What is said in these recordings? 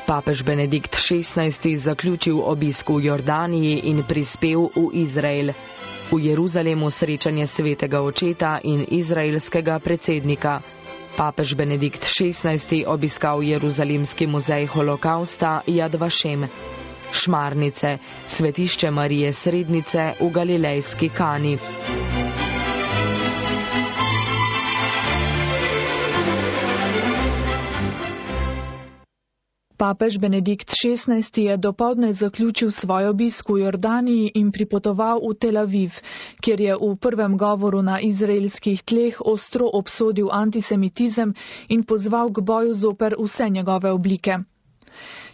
Papež Benedikt XVI zaključil obisk v Jordaniji in prispel v Izrael. V Jeruzalemu srečanje svetega očeta in izraelskega predsednika. Papež Benedikt XVI obiskal Jeruzalemski muzej holokausta Yad Vashem. Šmarnice, svetišče Marije Srednice v Galilejski Kani. Papež Benedikt XVI je dopoldne zaključil svoj obisk v Jordaniji in pripotoval v Tel Aviv, kjer je v prvem govoru na izraelskih tleh ostro obsodil antisemitizem in pozval k boju zoper vse njegove oblike.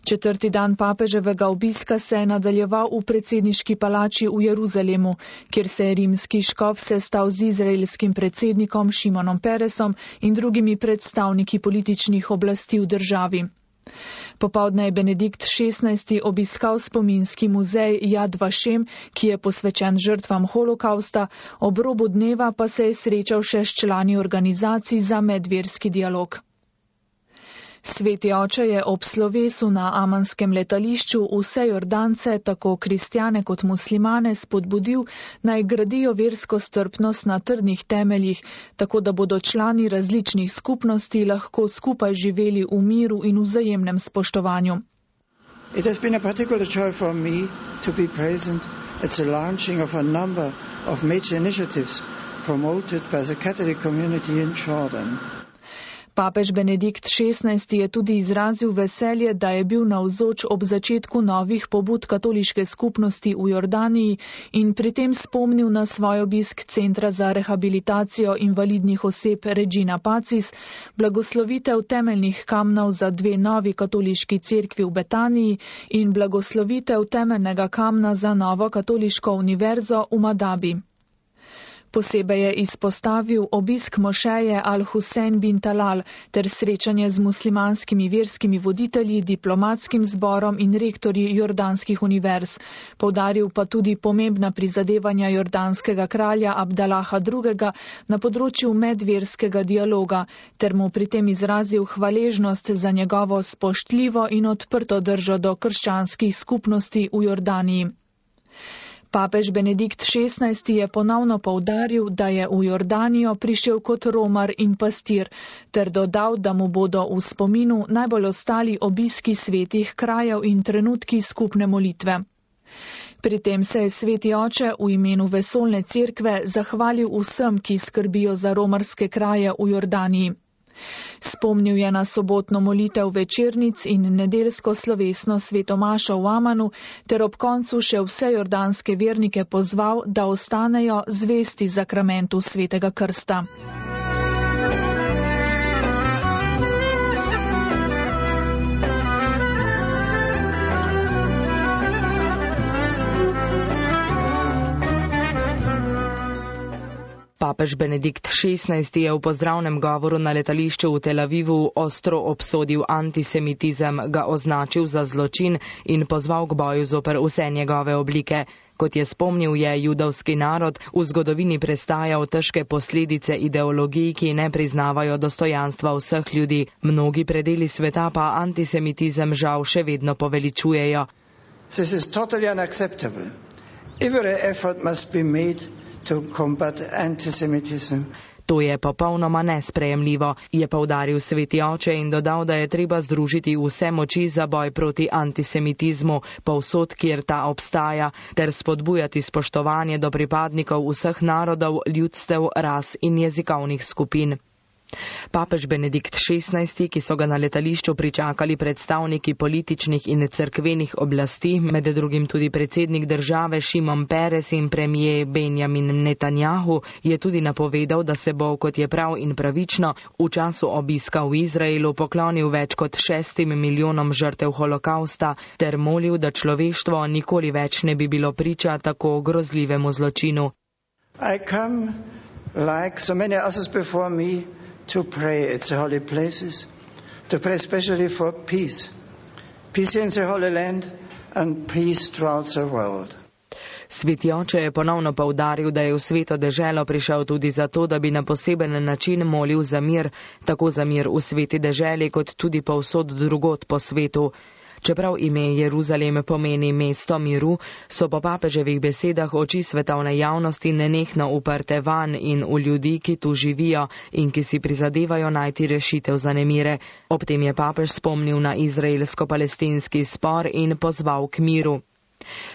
Četrti dan papeževega obiska se je nadaljeval v predsedniški palači v Jeruzalemu, kjer se je rimski škof sestal z izraelskim predsednikom Šimonom Peresom in drugimi predstavniki političnih oblasti v državi. Popoldne je Benedikt XVI obiskal spominski muzej Yad Vashem, ki je posvečen žrtvam holokausta, ob robu dneva pa se je srečal še s člani organizacij za medverski dialog. Sveti oče je ob slovesu na amanskem letališču vse Jordance, tako kristjane kot muslimane, spodbudil, naj gradijo versko strpnost na trdnih temeljih, tako da bodo člani različnih skupnosti lahko skupaj živeli v miru in vzajemnem spoštovanju. It has been a particular joy for me to be present at the launching of a number of major initiatives promoted by the Catholic community in Jordan. Papež Benedikt XVI je tudi izrazil veselje, da je bil navzoč ob začetku novih pobud katoliške skupnosti v Jordaniji in pri tem spomnil na svoj obisk Centra za rehabilitacijo invalidnih oseb Regina Pacis, blagoslovitev temeljnih kamnov za 2 novi katoliški cerkvi v Betaniji in blagoslovitev temeljnega kamna za novo katoliško univerzo v Madabi. Posebej je izpostavil obisk mošeje Al-Husein bin Talal ter srečanje z muslimanskimi verskimi voditelji, diplomatskim zborom in rektorji jordanskih univerz. Poudaril pa tudi pomembna prizadevanja jordanskega kralja Abdalaha II. Na področju medverskega dialoga ter mu pri tem izrazil hvaležnost za njegovo spoštljivo in odprto držo do krščanskih skupnosti v Jordaniji. Papež Benedikt XVI je ponovno poudaril, da je v Jordanijo prišel kot romar in pastir, ter dodal, da mu bodo v spominu najbolj ostali obiski svetih krajev in trenutki skupne molitve. Pri tem se je sveti oče v imenu vesoljne cerkve zahvalil vsem, ki skrbijo za romarske kraje v Jordaniji. Spomnil je na sobotno molitev večernic in nedeljsko slovesno svetomašo v Amanu, ter ob koncu še vse jordanske vernike pozval, da ostanejo zvesti zakramentu svetega krsta. Papež Benedikt XVI je v pozdravnem govoru na letališču v Tel Avivu ostro obsodil antisemitizem, ga označil za zločin in pozval k boju zoper vse njegove oblike. Kot je spomnil, je judovski narod v zgodovini prestajal težke posledice ideologij, ki ne priznavajo dostojanstva vseh ljudi. Mnogi predeli sveta pa antisemitizem žal še vedno poveličujejo. This is totally unacceptable. Every effort must be made to combat antisemitism. To je popolnoma nesprejemljivo, je poudaril sveti oče in dodal, da je treba združiti vse moči za boj proti antisemitizmu, povsod, kjer ta obstaja, ter spodbujati spoštovanje do pripadnikov vseh narodov, ljudstev, ras in jezikovnih skupin. Papež Benedikt XVI, ki so ga na letališču pričakali predstavniki političnih in cerkvenih oblasti, med drugim tudi predsednik države Šimon Peres in premijer Benjamin Netanjahu, je tudi napovedal, da se bo, kot je prav in pravično, v času obiska v Izraelu poklonil več kot 6 milijonom žrtev holokausta ter molil, da človeštvo nikoli več ne bi bilo priča tako grozljivemu zločinu. I come, like so many others before me, to pray at the holy places, to pray especially for peace. Peace in the Holy Land and peace throughout the world. Sveti oče je ponovno poudaril, da je v sveto deželo prišel tudi zato, da bi na poseben način molil za mir, tako za mir v sveti deželi, kot tudi povsod drugod po svetu. Čeprav ime Jeruzalem pomeni mesto miru, so po papeževih besedah oči svetovne javnosti nenehno uprte van in v ljudi, ki tu živijo in ki si prizadevajo najti rešitev za nemire. Ob tem je papež spomnil na izraelsko-palestinski spor in pozval k miru.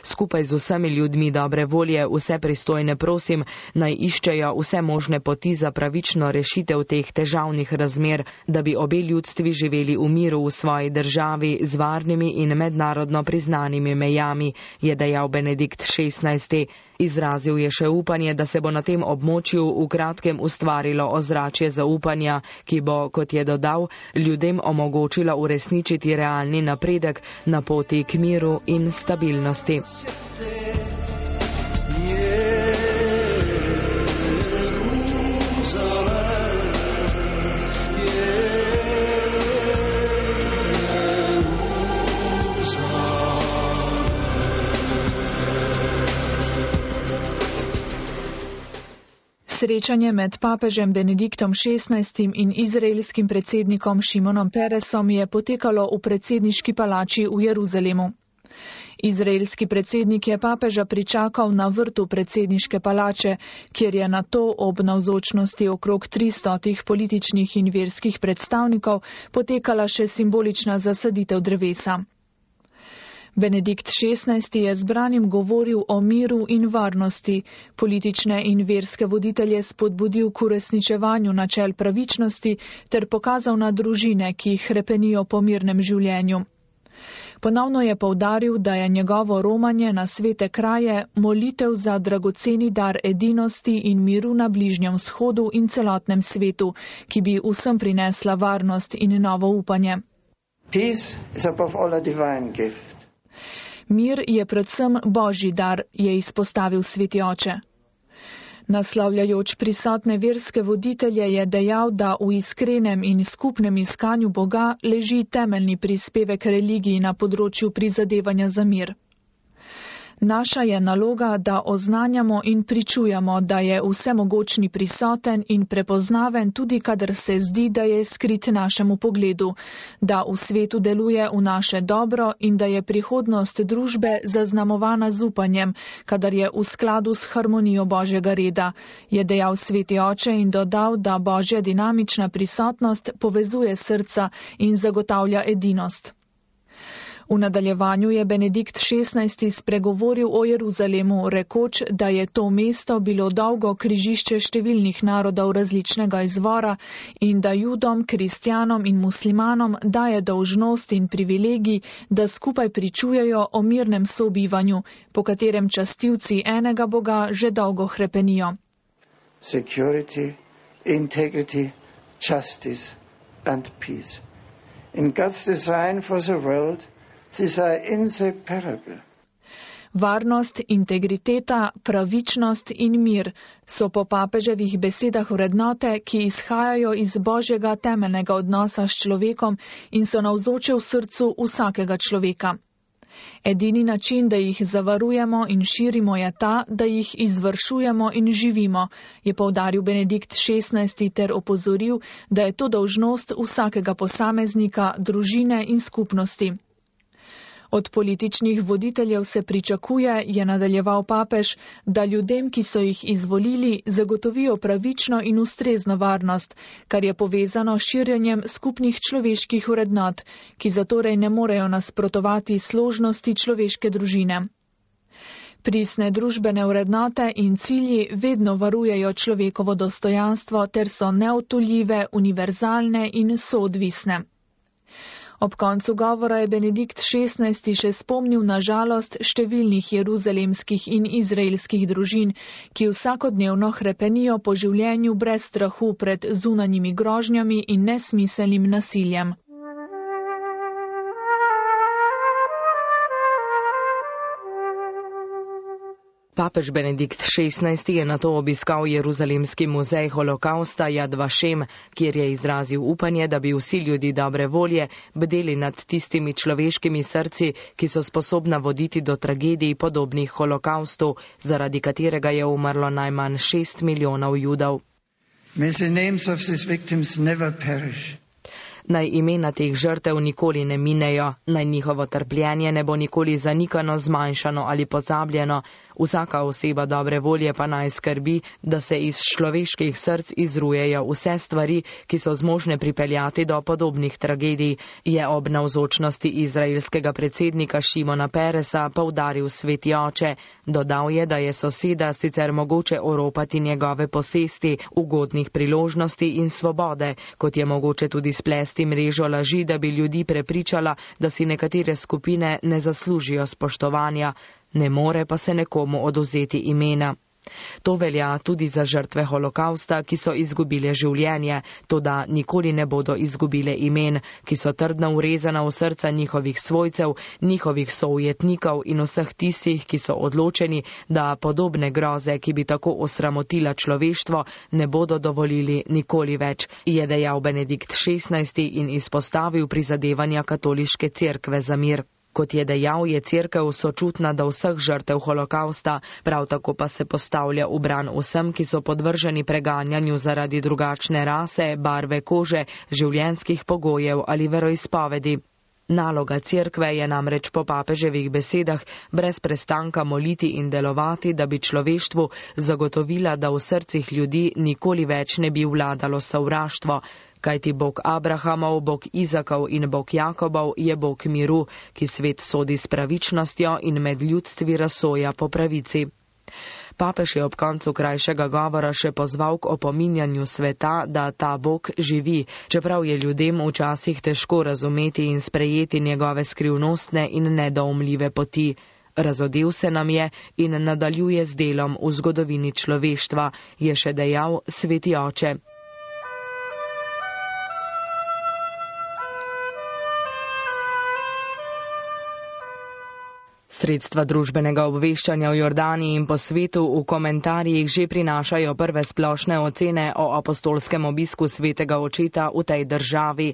Skupaj z vsemi ljudmi dobre volje vse pristojne prosim, naj iščejo vse možne poti za pravično rešitev teh težavnih razmer, da bi obe ljudstvi živeli v miru v svoji državi z varnimi in mednarodno priznanimi mejami, je dejal Benedikt XVI. Izrazil je še upanje, da se bo na tem območju v kratkem ustvarilo ozračje zaupanja, ki bo, kot je dodal, ljudem omogočilo uresničiti realni napredek na poti k miru in stabilnosti. Srečanje med papežem Benediktom XVI in izraelskim predsednikom Šimonom Peresom je potekalo v predsedniški palači v Jeruzalemu. Izraelski predsednik je papeža pričakal na vrtu predsedniške palače, kjer je nato ob navzočnosti okrog 300 političnih in verskih predstavnikov potekala še simbolična zasaditev drevesa. Benedikt XVI je zbranim govoril o miru in varnosti, politične in verske voditelje spodbudil k uresničevanju načel pravičnosti ter pokazal na družine, ki hrepenijo po mirnem življenju. Ponovno je poudaril, da je njegovo romanje na svete kraje molitev za dragoceni dar edinosti in miru na Bližnjem vzhodu in celotnem svetu, ki bi vsem prinesla varnost in novo upanje. Peace is above all a divine gift. Mir je predvsem Božji dar, je izpostavil sveti oče. Naslavljajoč prisotne verske voditelje je dejal, da v iskrenem in skupnem iskanju Boga leži temeljni prispevek religiji na področju prizadevanja za mir. Naša je naloga, da oznanjamo in pričujemo, da je vsemogočni prisoten in prepoznaven tudi, kadar se zdi, da je skrit našemu pogledu, da v svetu deluje v naše dobro in da je prihodnost družbe zaznamovana z upanjem, kadar je v skladu s harmonijo Božjega reda, je dejal sveti oče in dodal, da Božja dinamična prisotnost povezuje srca in zagotavlja edinost. V nadaljevanju je Benedikt XVI spregovoril o Jeruzalemu, rekoč, da je to mesto bilo dolgo križišče številnih narodov različnega izvora in da Judom, kristjanom in muslimanom daje dolžnost in privilegij, da skupaj pričujejo o mirnem sobivanju, po katerem častilci enega Boga že dolgo hrepenijo. Security, integrity, justice and peace. In God's design for the world, these are inseparable. Varnost, integriteta, pravičnost in mir so po papeževih besedah vrednote, ki izhajajo iz Božjega temeljnega odnosa s človekom in so navzoče v srcu vsakega človeka. Edini način, da jih zavarujemo in širimo, je ta, da jih izvršujemo in živimo, je poudaril Benedikt XVI ter opozoril, da je to dolžnost vsakega posameznika, družine in skupnosti. Od političnih voditeljev se pričakuje, je nadaljeval papež, da ljudem, ki so jih izvolili, zagotovijo pravično in ustrezno varnost, kar je povezano s širjenjem skupnih človeških vrednot, ki zatorej ne morejo nasprotovati složnosti človeške družine. Pristne družbene vrednote in cilji vedno varujejo človekovo dostojanstvo ter so neodtujljive, univerzalne in soodvisne. Ob koncu govora je Benedikt XVI še spomnil na žalost številnih jeruzalemskih in izraelskih družin, ki vsakodnevno hrepenijo po življenju brez strahu pred zunanjimi grožnjami in nesmiselnim nasiljem. Papež Benedikt XVI je nato obiskal Jeruzalemski muzej holokausta Yad Vashem, kjer je izrazil upanje, da bi vsi ljudi dobre volje bdeli nad tistimi človeškimi srci, ki so sposobna voditi do tragedij podobnih holokaustu, zaradi katerega je umrlo najmanj 6 milijonov Judov. May the names of these victims never perish. Naj imena teh žrtev nikoli ne minejo, naj njihovo trpljenje ne bo nikoli zanikano, zmanjšano ali pozabljeno. Vsaka oseba dobre volje pa naj skrbi, da se iz človeških src izrujejo vse stvari, ki so zmožne pripeljati do podobnih tragedij, je ob navzočnosti izraelskega predsednika Šimona Peresa poudaril sveti oče. Dodal je, da je soseda sicer mogoče oropati njegove posesti, ugodnih priložnosti in svobode, kot je mogoče tudi splesti mrežo laži, da bi ljudi prepričala, da si nekatere skupine ne zaslužijo spoštovanja. Ne more pa se nekomu odvzeti imena. To velja tudi za žrtve holokausta, ki so izgubile življenje, toda nikoli ne bodo izgubile imen, ki so trdno urezana v srca njihovih svojcev, njihovih soujetnikov in vseh tistih, ki so odločeni, da podobne groze, ki bi tako osramotila človeštvo, ne bodo dovolili nikoli več, je dejal Benedikt XVI in izpostavil prizadevanja katoliške cerkve za mir. Kot je dejal, je cerkev sočutna do vseh žrtev holokausta, prav tako pa se postavlja v bran vsem, ki so podvrženi preganjanju zaradi drugačne rase, barve kože, življenjskih pogojev ali veroizpovedi. Naloga cerkve je namreč po papeževih besedah brez prestanka moliti in delovati, da bi človeštvu zagotovila, da v srcih ljudi nikoli več ne bi vladalo sovraštvo. Kajti Bog Abrahamov, Bog Izakov in Bog Jakobov je Bog miru, ki svet sodi s pravičnostjo in med ljudstvi razsoja po pravici. Papež je ob koncu krajšega govora še pozval k opominjanju sveta, da ta Bog živi, čeprav je ljudem včasih težko razumeti in sprejeti njegove skrivnostne in nedoumljive poti. Razodel se nam je in nadaljuje z delom v zgodovini človeštva, je še dejal sveti oče. Sredstva družbenega obveščanja v Jordaniji in po svetu v komentarjih že prinašajo prve splošne ocene o apostolskem obisku svetega očeta v tej državi.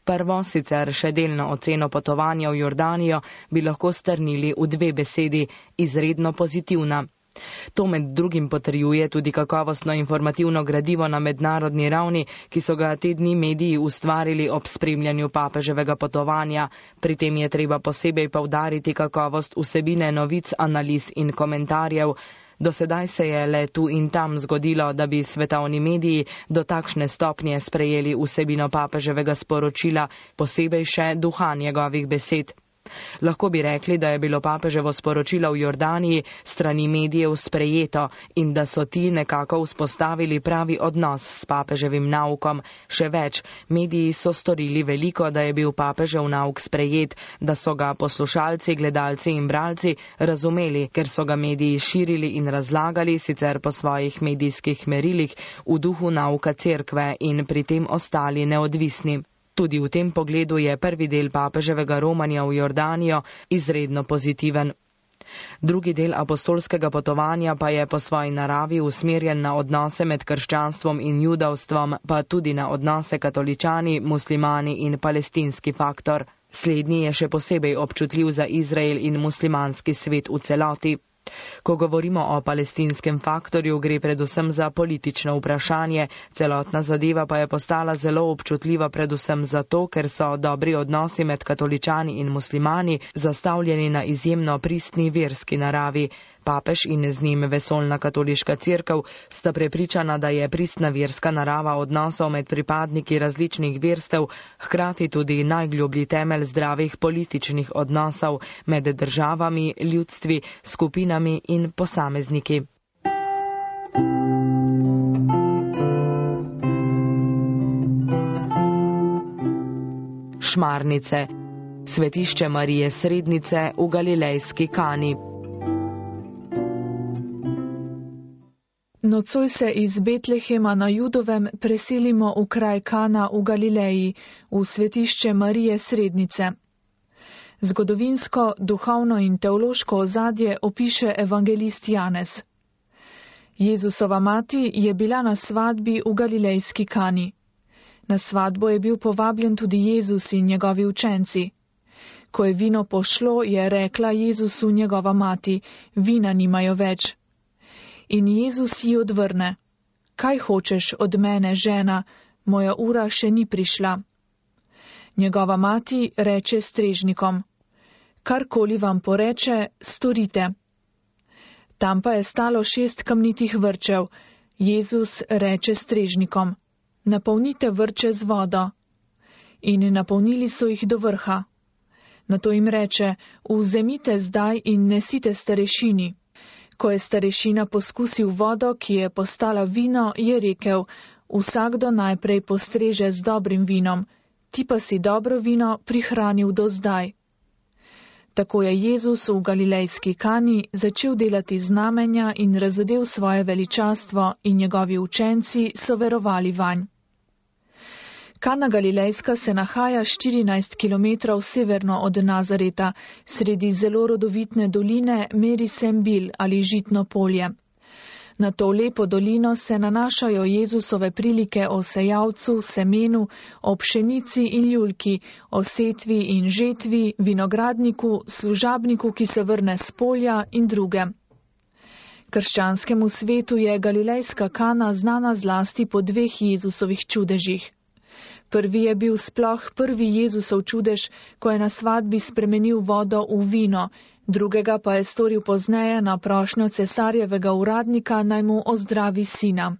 Prvo, sicer še delno oceno potovanja v Jordanijo, bi lahko strnili v dve besedi: izredno pozitivna. To med drugim potrjuje tudi kakovostno informativno gradivo na mednarodni ravni, ki so ga te dni mediji ustvarili ob spremljanju papeževega potovanja. Pri tem je treba posebej poudariti kakovost vsebine novic, analiz in komentarjev. Do sedaj se je le tu in tam zgodilo, da bi svetovni mediji do takšne stopnje sprejeli vsebino papeževega sporočila, posebej še duha njegovih besed. Lahko bi rekli, da je bilo papeževo sporočilo v Jordaniji strani medijev sprejeto in da so ti nekako vzpostavili pravi odnos s papeževim naukom. Še več, mediji so storili veliko, da je bil papežev nauk sprejet, da so ga poslušalci, gledalci in bralci razumeli, ker so ga mediji širili in razlagali, sicer po svojih medijskih merilih, v duhu nauka cerkve in pri tem ostali neodvisni. Tudi v tem pogledu je prvi del papeževega romanja v Jordanijo izredno pozitiven. Drugi del apostolskega potovanja pa je po svoji naravi usmerjen na odnose med krščanstvom in judovstvom, pa tudi na odnose katoličani, muslimani in palestinski faktor. Slednji je še posebej občutljiv za Izrael in muslimanski svet v celoti. Ko govorimo o palestinskem faktorju, gre predvsem za politično vprašanje, celotna zadeva pa je postala zelo občutljiva predvsem zato, ker so dobri odnosi med katoličani in muslimani zastavljeni na izjemno pristni verski naravi. Papež in z njim vesoljna katoliška cerkev sta prepričana, da je pristna verska narava odnosov med pripadniki različnih verstev hkrati tudi najgloblji temelj zdravih političnih odnosov med državami, ljudstvi, skupinami in posamezniki. Šmarnice. Svetišče Marije Srednice v Galilejski Kani. Nocoj se iz Betlehema na Judovem preselimo v kraj Kana v Galileji, v svetišče Marije Srednice. Zgodovinsko, duhovno in teološko ozadje opiše evangelist Janez. Jezusova mati je bila na svadbi v Galilejski Kani. Na svadbo je bil povabljen tudi Jezus in njegovi učenci. Ko je vino pošlo, je rekla Jezusu njegova mati: vina nimajo več. In Jezus ji odvrne: kaj hočeš od mene, žena, moja ura še ni prišla. Njegova mati reče strežnikom: karkoli vam poreče, storite. Tam pa je stalo 6 kamnitih vrčev. Jezus reče strežnikom: napolnite vrče z vodo. In napolnili so jih do vrha. Nato jim reče: vzemite zdaj in nesite starešini. Ko je starešina poskusil vodo, ki je postala vino, je rekel: vsakdo najprej postreže z dobrim vinom, ti pa si dobro vino prihranil do zdaj. Tako je Jezus v galilejski Kani začel delati znamenja in razodel svoje veličastvo in njegovi učenci so verovali vanj. Kana Galilejska se nahaja 14 km severno od Nazareta, sredi zelo rodovitne doline Meri-Sembil ali žitno polje. Na to lepo dolino se nanašajo Jezusove prilike o sejalcu, semenu, o pšenici in ljulki, o setvi in žetvi, vinogradniku, služabniku, ki se vrne s polja in druge. Krščanskemu svetu je galilejska Kana znana zlasti po 2 Jezusovih čudežih. Prvi je bil sploh prvi Jezusov čudež, ko je na svadbi spremenil vodo v vino, drugega pa je storil pozneje na prošnjo cesarjevega uradnika, naj mu ozdravi sina.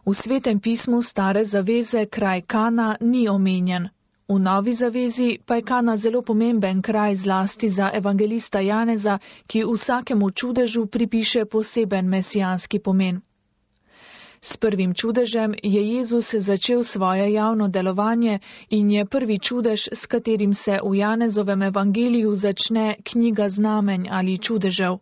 V Svetem pismu Stare zaveze kraj Kana ni omenjen. V Novi zavezi pa je Kana zelo pomemben kraj zlasti za evangelista Janeza, ki vsakemu čudežu pripiše poseben mesijanski pomen. S prvim čudežem je Jezus začel svoje javno delovanje in je prvi čudež, s katerim se v Janezovem evangeliju začne knjiga znamenj ali čudežev.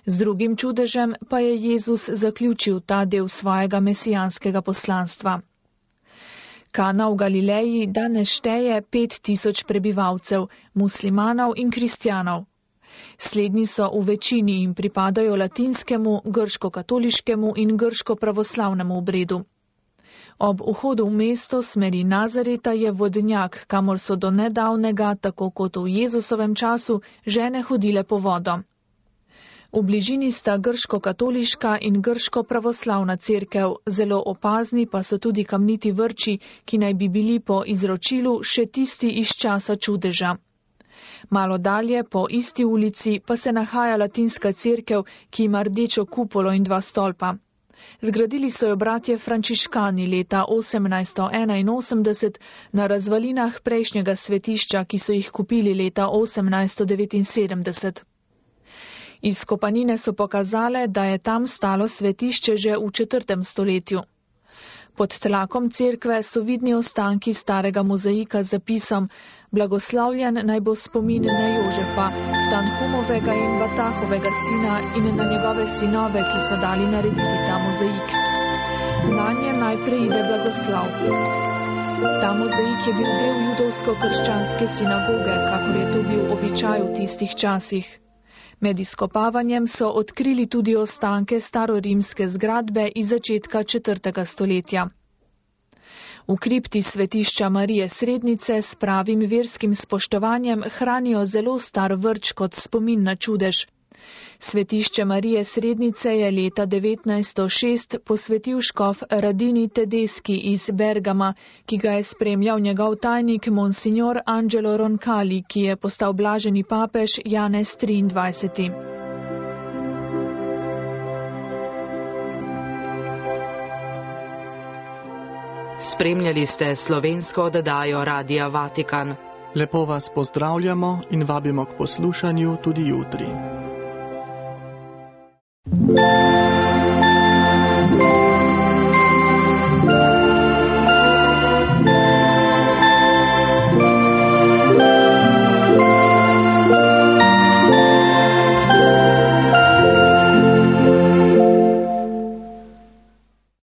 Z drugim čudežem pa je Jezus zaključil ta del svojega mesijanskega poslanstva. Kana v Galileji danes šteje 5000 prebivalcev, muslimanov in kristjanov. Slednji so v večini in pripadajo latinskemu, grško-katoliškemu in grško-pravoslavnemu obredu. Ob vhodu v mesto smeri Nazareta je vodnjak, kamor so do nedavnega, tako kot v Jezusovem času, žene hodile po vodo. V bližini sta grško-katoliška in grško-pravoslavna cerkev, zelo opazni pa so tudi kamniti vrči, ki naj bi bili po izročilu še tisti iz časa čudeža. Malo dalje, po isti ulici, pa se nahaja latinska cerkev, ki ima rdečo kupolo in 2 stolpa. Zgradili so jo bratje frančiškani leta 1881 na razvalinah prejšnjega svetišča, ki so jih kupili leta 1879. Izkopanine so pokazale, da je tam stalo svetišče že v 4. stoletju. Pod tlakom cerkve so vidni ostanki starega mozaika z zapisom: blagoslavljen naj bo spomin na Jožefa, Tanhumovega in Batahovega sina in na njegove sinove, ki so dali narediti ta mozaik. Nanje naj preide blagoslav. Ta mozaik je bil del judovsko-krščanske sinagoge, kakor je to bil običaj v tistih časih. Med izkopavanjem so odkrili tudi ostanke starorimske zgradbe iz začetka 4. stoletja. V kripti svetišča Marije Srednice s pravim verskim spoštovanjem hranijo zelo star vrč kot spomin na čudež. Svetišče Marije Srednice je leta 1906 posvetil škof Radini Tedeschi iz Bergama, ki ga je spremljal njegov tajnik monsignor Angelo Roncalli, ki je postal blaženi papež Janez 23. Spremljali ste slovensko oddajo Radia Vatikan. Lepo vas pozdravljamo in vabimo k poslušanju tudi jutri.